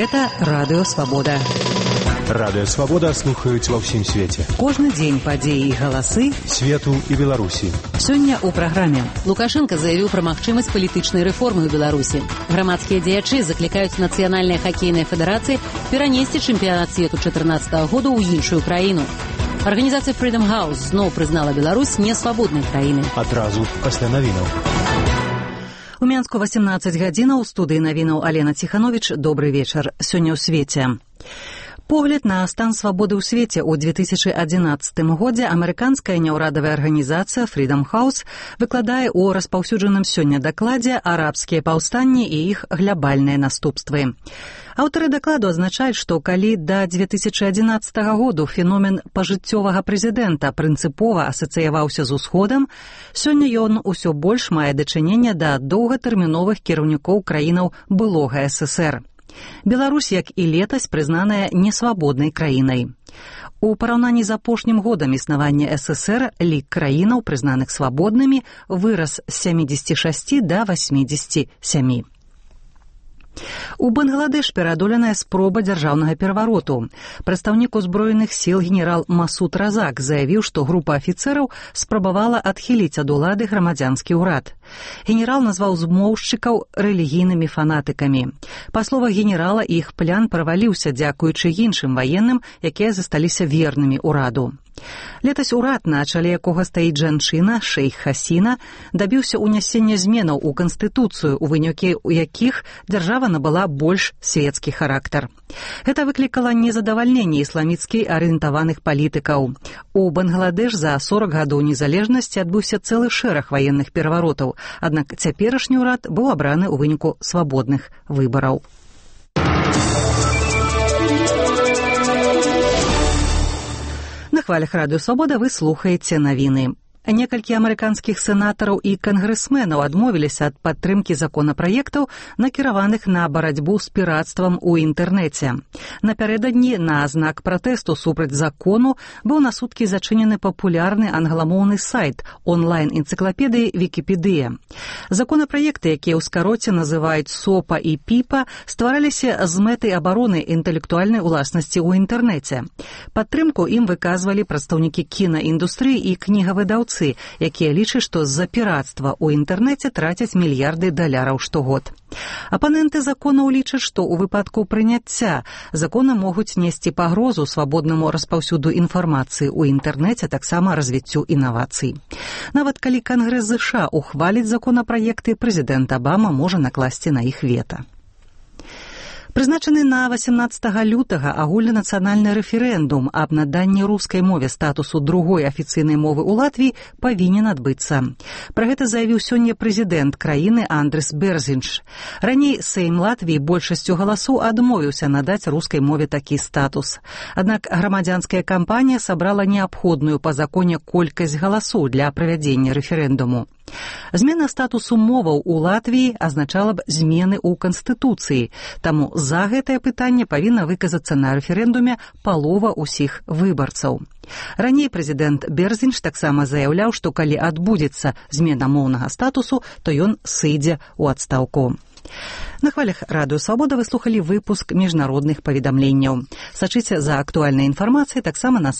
Гэта Радыё Свабода. Радыё Свабода слухаюць ва ўсім свеце. Кожны дзень падзеі і галасы свету і Беларусі. Сёння ў праграме. Лукашенко заявіў пра магчымасць палітычнай рэформы ў Беларусі. Грамадскія дзеячы заклікаюць нацыянальныя хакейныя федэрацыі перанесці чэмпіянат свету 2014 году ў іншую краіну. Арганізацыя Freedom House зноў прызнала Беларусь несвабоднай краінай. Адразу пасля навінаў. У Менску 18 гадзінаў, у студыі навінаў Алена Ціхановіч. Добры вечар. Сёння ў свеце. Погляд на стан свабоды ў свеце ў 2011 годзе амерыканская няўрадавая арганізацыя Freedom House выкладае ў распаўсюджаным сёння дакладзе арабскія паўстанні і іх глябальныя наступствы. Аўтары дакладу азначаюць, што калі да 2011 году феномен пажыццёвага прэзідэнта прынцыпова асацыяваўся з усходам, сёння ён усё больш мае дачыненне да доўгатэрміновых кіраўнікоў краінаў былога ССР. Беларусь, як і летась, прызнаная несвабоднай краінай. У параўнанні з апошнім годам існавання ССР лік краінаў, прызнаных свабоднымі, вырас з 76 да 87. У Бангладеш пераадоленая спроба дзяржаўнага перавароту. Прадстаўнік узброеных сіл генерал Масуд Разак заявіў, што група афіцэраў спрабавала адхіліць ад улады грамадзянскі ўрад. Генерал назваў змоўшчыкаў рэлігійнымі фанатыкамі. Па словах генерала, іх плян праваліўся дзякуючы іншым ваенным, якія засталіся вернымі ўраду. Летась урад, на чале якога стаіць жанчына, шэйх Хасіна, дабіўся ўнясення зменаў у Канстытуцыю, у выніку якіх дзяржава набыла больш свецкі характар. Гэта выклікала незадавальненне ісламіцкі арыентаваных палітыкаў. У Бангладеш за 40 гадоў незалежнасці адбыўся цэлы шэраг ваенных пераваротаў, аднак цяперашні ўрад быў абраны ў выніку свабодных выбараў. На хвалях Радыё Свабода вы слухаеце навіны. Некалькі амерыканскіх сенатараў і кангрэсменаў адмовіліся ад падтрымкі законапраектаў, накіраваных на барацьбу з пірацтвам у інтэрнэце. Напярэдадні на знак пратэсту супраць закону быў на суткі зачынены папулярны англамоўны сайт онлайн-энцыклапедыі Вікіпедыя. Законапраекты, якія ў скароце называюць СОПА і ПІПА, ствараліся з мэтай абароны інтэлектуальнай уласнасці ў інтэрнэце. Падтрымку ім выказвалі прадстаўнікі кінаіндустрыі і кнігавыдаўцы, якія лічаць, што з-за пірацтва ў інтэрнэце трацяць мільярды даляраў штогод. Апаненты законаў лічаць, што ў выпадку прыняцця законы могуць несці пагрозу свабоднаму распаўсюду інфармацыі ў інтэрнэце, таксама развіццю інавацый. Нават калі Кангрэс ЗША ухваліць законапраекты, прэзідэнт Абама можа накласці на іх вета. Прызначаны на 18 лютага агульнанацыянальны рэферэндум аб наданні рускай мове статусу другой афіцыйнай мовы ў Латвіі павінен адбыцца. Пра гэта заявіў сёння прэзідэнт краіны Андрыс Берзінш. Раней Сейм Латвіі большасцю галасоў адмовіўся надаць рускай мове такі статус. Аднак грамадзянская кампанія сабрала неабходную па законе колькасць галасоў для правядзення рэферэндуму. Змена статусу моваў у Латвіі азначала б змены ў Канстытуцыі, таму за гэтае пытанне павінна выказацца на рэферэндуме палова ўсіх выбарцаў. Раней прэзідэнт Берзінш таксама заяўляў, што калі адбудзецца змена моўнага статусу, то ён сыдзе ў адстаўку. На хвалях Радыё Свабода вы слухалі выпуск міжнародных паведамленняў. Сачыце за актуальнай інфармацыяй таксама на